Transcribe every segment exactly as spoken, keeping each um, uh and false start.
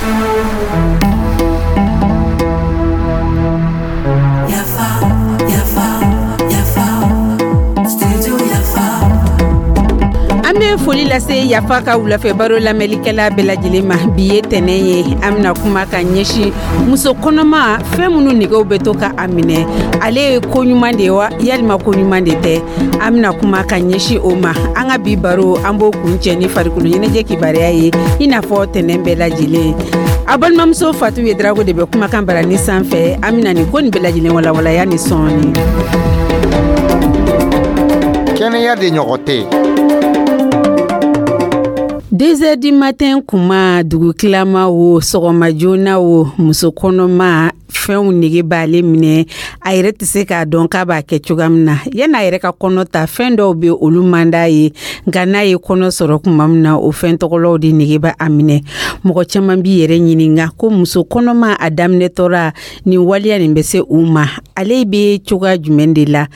Yafa, yafa, yafa, studio Yafa. An bɛ foli lase Yafa ka wulafɛ baro lamɛnlikɛla bɛɛ lajɛlen ma. Bi ye tɛnɛn ye, an bɛna kuma ka ɲɛsin muso kɔnɔma, fɛn minnu negew bɛ to ka a minɛ, ale ye ko ɲuman de ye wa, yalima ko ɲuman de tɛ? An bɛna kuma ka ɲɛsin o ma. An ka bi baro, an b'o kuncɛ ni farikolo ɲɛnajɛ kibaruya ye, i n'a fɔ tɛnɛn bɛɛ lajɛlen. A balimamuso Fatu Yedrago de bɛ kumakan barani sanfɛ. An bɛna nin ko nin bɛɛ lajɛlen walawalaya ni sɔɔni. Kɛnɛya de ɲɔgɔn tɛ. Deux heures du matin kuma, dugukilama o, sɔgɔma joona o, muso kɔnɔma fɛnw nege b'ale minɛ, a yɛrɛ tɛ se k'a dɔn k'a b'a kɛ cogoya min na. Yan'a yɛrɛ ka kɔnɔ ta, fɛn dɔw bɛ, olu man d'a ye, nka n'a ye kɔnɔ sɔrɔ tuma min na, o fɛn tɔgɔlaw de nege b'a a minɛ. Mɔgɔ caman b'i yɛrɛ ɲininka ko muso kɔnɔma a daminɛtɔra, nin waleya nin bɛ se u ma, ale bɛ cogoya jumɛn de la?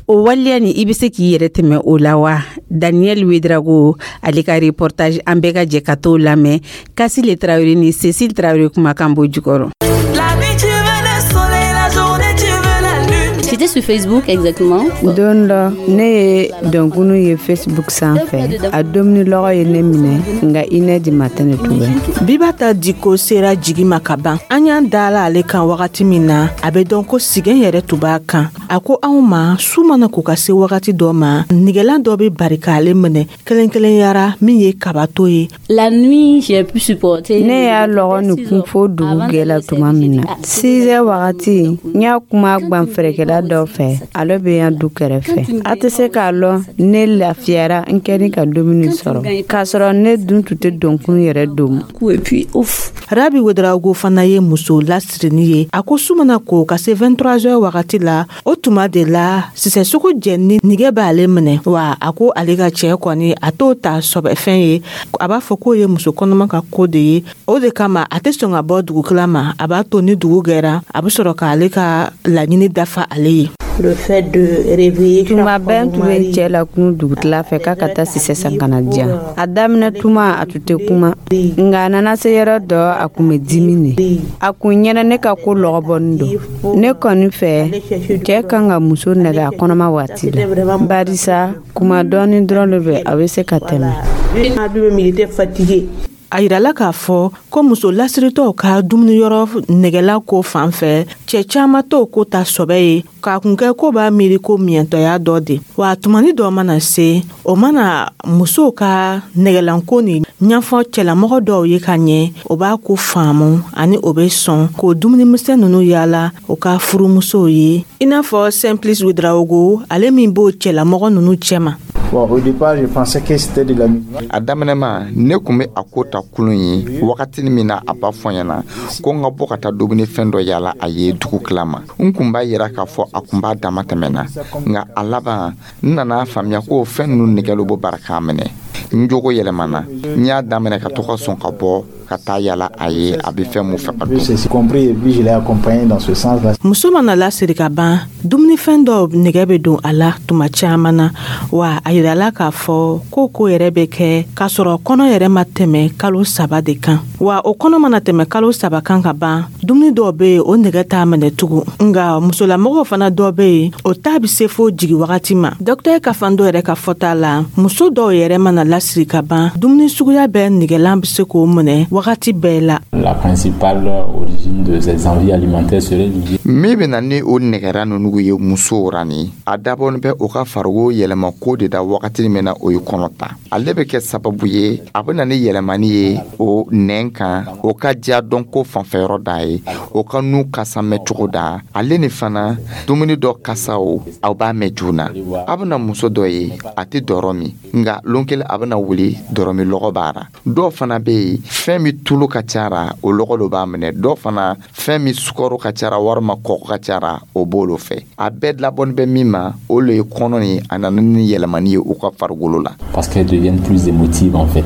O waleya nin, i bɛ se k'i yɛrɛ tɛmɛ o la wa? Daniel Wedrago, ale ka reportage, an bɛɛ ka jɛ ka t'o lamɛn. Kasile Tarawele ni Cécile Tarawele kumakan b'o jukɔrɔ. La nuit tu veux le soleil, la journée tu veux la lune. C'était sur Facebook exactement. Don dɔ, ne ye dɔnkunu ye Facebook sanfɛ, a domuni lɔgɔ ye ne minɛ, nka une heure du matin de tun bɛ. Bibata Diko sera jigi ma ka ban. An y'an dala ale kan wagati min na, a bɛ dɔn ko sigɛn yɛrɛ tun b'a kan. A ko anw ma, su mana ko ka se wagati dɔ ma, nigɛlan dɔ bɛ bari k'ale minɛ kelen kelenyara, min ye kabato ye. La nuit, j'ai pu supporter. Ne y'a lɔgɔ nin kun fo dugu gɛla tuma min na, six heures wagati, n y'a kuma gwanfɛrɛkɛla dɔ fɛ, ale bɛ yan du kɛrɛfɛ. A tɛ se k'a lɔn, ne lafiyara, n kɛni ka dumuni sɔrɔ, k'a sɔrɔ ne dun tun tɛ donkun yɛrɛ domu. Et puis, ouf. Rabi Wedrago fana ye muso lasirinin ye. A ko su mana ko ka se vingt-trois heures wagati la, o tuma de la sisɛsogo jɛni nige b'ale minɛ. Wa a ko ale ka cɛɛ kɔni, a t'o ta sɔbɛfɛn ye. A b'a fɔ k'o ye muso kɔnɔma ka ko de ye. O de kama a tɛ sɔn ka bɔ dugukila ma. A b'a to ni dugu gɛra, a bɛ sɔrɔ k'ale ka laɲini dafa ale ye. Le fait de réveiller Tuma bɛɛ n tun bɛ n cɛ la kunu dugutila fɛ k'a ka taa sisɛ san ka na diyan. A daminɛ tuma, a tun tɛ kuma, nka a nana se yɔrɔ dɔ, a kun bɛ dimi de, a kun ɲɛna ne ka ko lɔgɔbɔnin don. Ne kɔni fɛ, cɛɛ kan ka muso nɛgɛ a kɔnɔma waati la, barisa kuma dɔɔni dɔrɔn de bɛ, a bɛ se ka tɛmɛ. Lui-même, il était fatigué. A yirala k'a fɔ ko muso lasiritɔw ka dumuniyɔrɔ nɛgɛla ko fan fɛ, cɛɛ caaman t'o ko ta sɔbɛ ye, k'a kun kɛ ko b'a miiri ko miɲɛtɔya dɔ de. Wa tumani dɔ mana se, o mana musow ka nɛgɛlanko ni ɲɛfɔ cɛlamɔgɔ dɔw ye ka ɲɛ, o b'a ko faamu ani o be sɔn k'o dumunimisɛn nunu yaala o ka furumusow ye, i n'a fɔ Simplice Wedraogo, ale min b'o cɛlamɔgɔ nunu cɛma. Bon, au départ, je pensais que c'était de l'amusement. A daminɛma, ne kun bɛ a ko ta kulun ye. Wagati min na a b'a fɔ ɲɛna ko n ka bɔ ka taa dumunifɛn dɔ yala a ye dugu tila ma, n kun b'a yira k'a fɔ a kun b'a dama tɛmɛ na. Nka a laban, n nana faamuya ko fɛn ninnu nɛgɛlu bɔ bara k'a minɛ. N jogo yɛlɛmana, n y'a daminɛ ka to ka sɔn ka bɔ ka taa yala a ye, a bɛ fɛn mun fɛ ka dun. J'ai compris et puis je l'ai accompagné dans ce sens-là. Muso mana lasiri ka ban, dumunifɛn dɔw nɛgɛ bɛ don a la tuma caman na. Wa a yirala k'a fɔ ko ko yɛrɛ bɛ kɛ k'a sɔrɔ kɔnɔ yɛrɛ ma tɛmɛ kalo saba de kan. Wa o kɔnɔ mana tɛmɛ kalo saba kan ka ban, dumuni dɔw bɛ yen, o nɛgɛ t'a minɛ tugun. Nka musolamɔgɔw fana dɔw bɛ yen, o ta bɛ se fo jigi wagati ma. Dɔkitɛri Kafando yɛrɛ ka fɔta la, muso dɔw yɛrɛ mana lasiri ka ban, dumuni suguya bɛɛ nɛgɛlan bɛ se k'o minɛ wagati bɛɛ la. La principale origine de ces envies alimentaires serait liée Min bɛ na ni o nɛgɛra ninnu ye musow ra, ni a dabɔnin bɛ o ka farikolo yɛlɛma ko de da. Wagati min na o ye kɔnɔ ta, ale bɛ kɛ sababu ye a bɛ na ni yɛlɛmani ye o nɛn kan, o ka diya dɔn ko fanfɛyɔrɔ da ye, o ka nu kasa mɛn cogo da. Ale ni fana dumuni dɔ kasaw, aw b'a mɛn joona. A bɛna muso dɔ ye, a tɛ dɔrɔ min, nka lon kelen a bɛna wuli, dɔrɔmi lɔgɔ b'a ra. Dɔw fana bɛ yen, fɛn min tulu ka ca ra, o lɔgɔ dɔ b'a minɛ. Dɔw fana, fɛn min sukaro ka ca ra walima kɔgɔ ka ca ra, o b'olu fɛ. A bɛɛ labɔni bɛ min ma, o le ye kɔnɔ ni a nana ni yɛlɛmani ye u ka farikolo la. Parce qu'elles deviennent plus émotives en fait.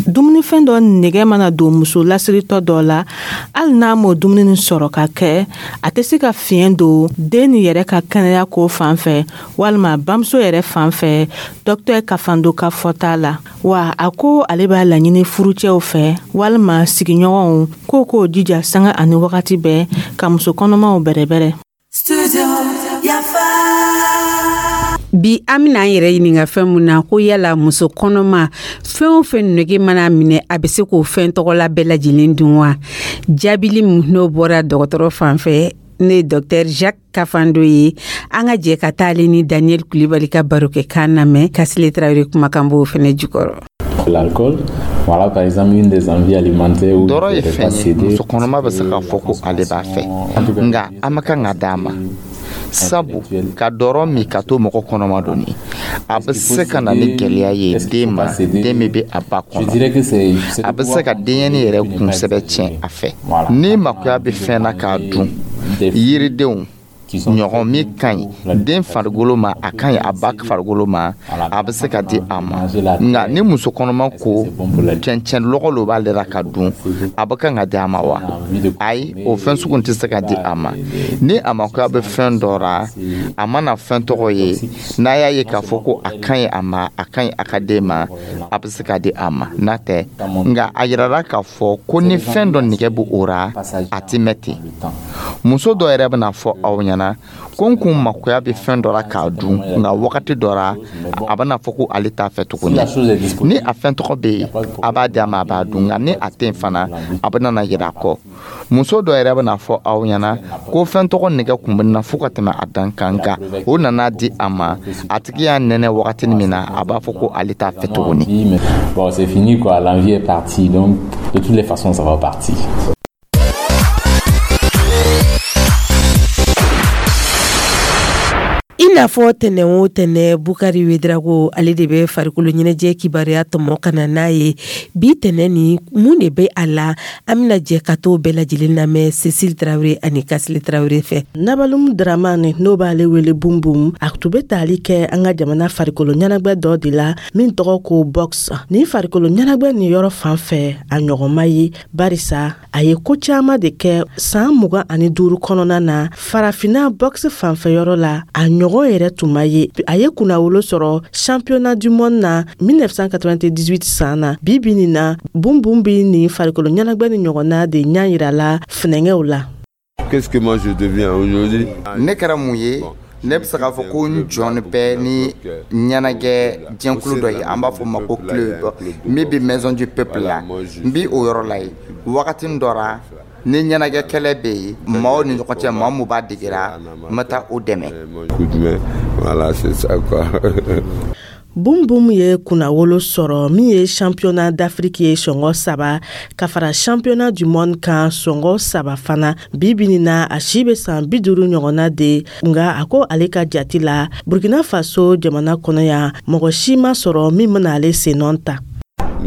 Dumunifɛn dɔ nɛgɛ mana don muso lasiritɔ dɔ la, hali n'a m'o dumuni sɔrɔ ka kɛ, a tɛ se ka fiɲɛ don den ni yɛrɛ ka kɛnɛya ko fan fɛ walima bamuso yɛrɛ fan fɛ. Dɔktɛr Kafando ka fɔta la, wa a ko ale b'a laɲini furucɛw fɛ walima sigiɲɔgɔnw. k'o k'o jija sanga ani wagati bɛɛ ka muso kɔnɔmaw bɛrɛbɛrɛ. Bi an bɛna an yɛrɛ ɲininka fɛn mun na, ko yala muso kɔnɔma, fɛn o fɛn nege mana minɛ, a bɛ se k'o fɛn tɔgɔla bɛɛ lajɛlen dun wa? Jaabili min n'o bɔra dɔgɔtɔrɔ fan fɛ, ne ye Docteur Jacques Kafando ye. An ka jɛ ka taa ale ni Daniel Kulibali ka barokɛ kan lamɛn, Kasile Tarawele kumakan b'o fɛnɛ jukɔrɔ. L'alcool, voilà par exemple une des envies alimentaires où Dɔrɔ ye fɛn ye, muso kɔnɔma bɛ se k'a fɔ ko ale b'a fɛ, nka an ma kan ka d'a ma, sabu ka dɔrɔ min ka to mɔgɔ kɔnɔma donni, a bɛ se ka na ni gɛlɛya ye den ma, den min bɛ a ba kɔnɔ. A bɛ se ka denyɛrɛnin yɛrɛ kunsɛbɛ tiɲɛ a fɛ. Ni makoya bɛ fɛn na k'a dun, yiridenw ɲɔgɔn min ka ɲi den farikolo ma, a ka ɲi a ba farikolo ma, a bɛ se ka di a ma. Nka ni muso kɔnɔma ko cɛncɛn lɔgɔ lo b'ale la ka dun, a bɛ kan ka di a ma wa? Ayi, o fɛn sugu tɛ se ka di a ma. Ni a ma ko a bɛ fɛn dɔ ra, a mana fɛn tɔgɔ ye, n'a y'a ye k'a fɔ ko a ka ɲi a ma, a ka ɲi a ka den ma, a bɛ se ka di a ma. N'a tɛ, nka a yirara k'a fɔ ko ni fɛn dɔ nege bɛ o ra, a ti mɛn ten. Muso dɔ yɛrɛ bɛna fɔ aw ɲɛna ko n kun makoya bɛ fɛn dɔ la k'a dun, nka wagati dɔ la, a bɛna fɔ ko ale t'a fɛ tuguni. Ni a fɛn tɔgɔ bɛ yen, a b'a di a ma, a b'a dun, nka ni a tɛ yen fana, a bɛna na yira a kɔ. Muso dɔ yɛrɛ bɛna fɔ aw ɲɛna ko fɛn tɔgɔ nɛgɛ kun bɛ na fo ka tɛmɛ a dan kan, nka o nana di a ma, a tigi y'a nɛnɛ wagatinin min na, a b'a fɔ ko ale t'a fɛ tuguni. Bon, c'est fini quoi, l'envie est partie, donc de toutes les façons ça va partir. I n'a fɔ tɛnɛ o tɛnɛ, Bukari Wedrago, ale de bɛ farikolo ɲɛnajɛ kibaruya tɔmɔ ka na n'a ye. Bi tɛnɛ ni mun de bɛ a la? An bɛna jɛ ka t'o bɛɛ lajɛlen lamɛn Cecile Tarawele ani Kasile Tarawele fɛ. Nabalum Dramani, n'o b'ale wele Bumbum, a tun bɛ tali kɛ an ka jamana farikolo ɲɛnajɛ dɔ de la min tɔgɔ ko boxe. Nin farikolo ɲɛnajɛ nin yɔrɔ fan fɛ, a ɲɔgɔn ma ye, barisa a ye ko caman de kɛ san mugan ani duuru kɔnɔna na farafinna boxe fanfɛ yɔrɔ la, a ɲɔgɔn yɛrɛ tun ma ye. A ye kunnawolo sɔrɔ championnat du monde na mille neuf cent quatre-vingt-dix-huit san na. Bi bi nin na, Bumbum bi nin farikolo ɲɛnajɛ ni ɲɔgɔnna de ɲɛ yira la funɛngɛw la. Qu'est-ce que moi je deviens aujourd'hui? Ne kɛra mun ye? Ne bɛ se k'a fɔ ko n jɔn bɛ ni ɲɛnajɛ jɛnkulu dɔ ye, an b'a fɔ o ma ko club min bɛ Maison du Peuple la. N bi o yɔrɔ la yen. Wagati dɔ la, ni ɲɛnajɛ kɛlɛ bɛ yen maaw ni ɲɔgɔn cɛ, maa mun b'a degera, n bɛ taa o dɛmɛ. Coup de main, voilà, c'est ça quoi. Bum Bum ye kunnawolo sɔrɔ min ye championnat d'Afrique ye sɔngɔ saba, ka fara championnat du monde kan sɔngɔ saba fana. Bi bi nin na, a si bɛ san bi duuru ɲɔgɔnna de, nka a ko ale ka jati la, Burkina Faso jamana kɔnɔ yan, mɔgɔ si ma sɔrɔ min bɛna ale sennɔ ta.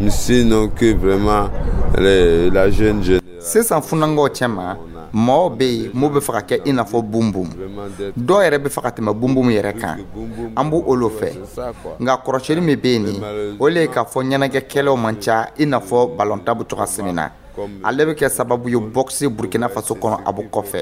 Sinon que vraiment les, la jeune génération. Sisan funankɛw cɛma, mɔgɔw bɛ yen mun bɛ fɛ ka kɛ i n'a fɔ Bumbum, dɔw yɛrɛ bɛ fɛ ka tɛmɛ Bumbum yɛrɛ kan. An b'o olu fɛ, nka kɔrɔsiyɛnni min bɛ yen nin, o le ye k'a fɔ ɲɛnajɛkɛlaw man ca i n'a fɔ balontan bɛ cogoya min na. Ale bɛ kɛ sababu ye boxe Burkina Faso kɔnɔ, a bɛ kɔfɛ.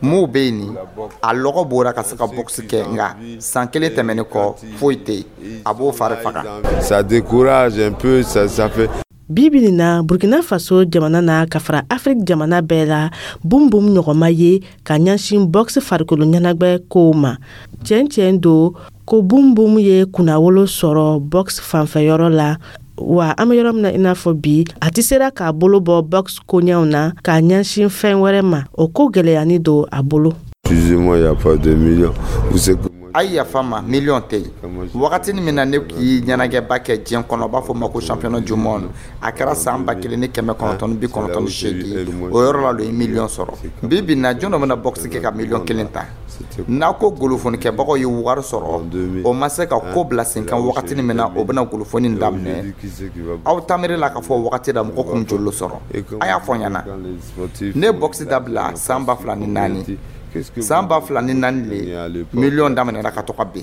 Mun bɛ yen nin, a lɔgɔ bɔra ka se ka boxe kɛ, nka san kelen tɛmɛnen kɔ, foyi tɛ yen, a b'o fari faga. Ça décourage un peu, ça, ça fait. Bi bi nin na, Burkina Faso jamana na, ka fara Afiriki jamana bɛɛ la, Bum Bum ɲɔgɔnma ye ka ɲɛsin boxe farikolo ɲɛnajɛ kow ma. Tiɲɛ tiɲɛ don ko Bum Bum ye kunnawolo sɔrɔ boxe fanfɛyɔrɔ la wa, an bɛ yɔrɔ min na i n'a fɔ bi, a tɛ sera k'a bolo bɔ boxe koɲɛw na k'a ɲɛsin fɛn wɛrɛ ma. O ko gɛlɛyani don a bolo. Excusez-moi, il n'y a pas de millions. Vous savez que moi, A ye yafa ma, miliyɔn tɛ yen. Wagati min na ne k'i ɲɛnajɛba kɛ diɲɛ kɔnɔ, u b'a fɔ o ma ko championnat du monde, a kɛra san ba kelen ni kɛmɛ kɔnɔntɔn ni bi kɔnɔntɔn ni seegin. O yɔrɔ la lo ye miliyɔn sɔrɔ. Bi bi in na, jɔn dɔ bɛna boxe kɛ ka miliyɔn kelen ta? N'a ko golofonikɛbagaw ye wari sɔrɔ, o ma se ka ko bila sen kan. Wagati min na o bɛna golofoni daminɛ, aw tamiri la k'a fɔ wagati la mɔgɔ kun joli sɔrɔ? A y'a fɔ n ɲɛna. Ne ye boxe dabila san ba fila ni naani. San ba fila ni naani le miliyɔn daminɛna ka to ka bin.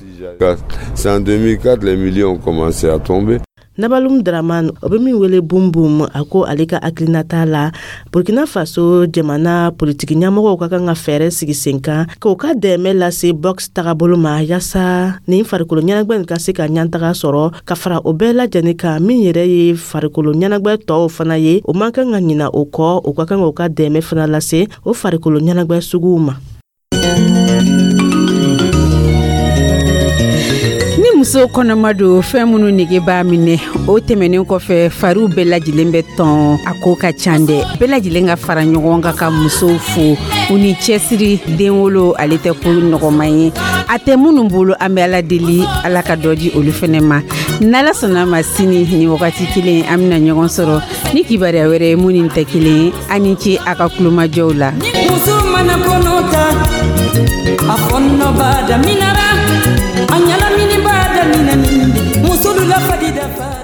C'est en deux mille quatre les millions ont commencé à tomber. Nabalum Draman, o bɛ min wele Bum Bum, a ko ale ka hakilinata la, Burkina Faso jamana politiki ɲɛmɔgɔw ka kan ka fɛɛrɛ sigi sen kan k'o ka dɛmɛ lase boxe tagabolo ma, yaasa nin farikolo ɲɛnagwɛ nin ka se ka ɲantaga sɔrɔ. Ka fara o bɛɛ lajɛlen kan, min yɛrɛ ye farikolo ɲɛnagwɛ tɔw fana ye, o man kan ka ɲina o kɔ. O ka kan k'o ka dɛmɛ fana lase o farikolo ɲɛnagwɛ suguw ma. Ni muso kɔnɔma don, fɛn minnu nege b'a minɛ, o tɛmɛnen kɔfɛ, fariw bɛɛ lajɛlen bɛ tɔn. A ko ka ca dɛ. Bɛɛ lajɛlen ka fara ɲɔgɔn kan ka musow fo u ni cɛsiri. Denwolo, ale tɛ ko nɔgɔman ye. A tɛ minnu bolo, an bɛ Ala deli, Ala ka dɔ di olu fɛnɛ ma. N'Ala sɔnna ma, sini ni wagati kelen, an bɛna ɲɔgɔn sɔrɔ ni kibaruya wɛrɛ ye mun ni tɛ kelen ye. An ni ce a ka kulomajɔw la. Muso mana kɔnɔ ta, a fɔɔnɔ b'a daminɛra, a ɲalamini b'a daminɛ, musolu la fadi dafa.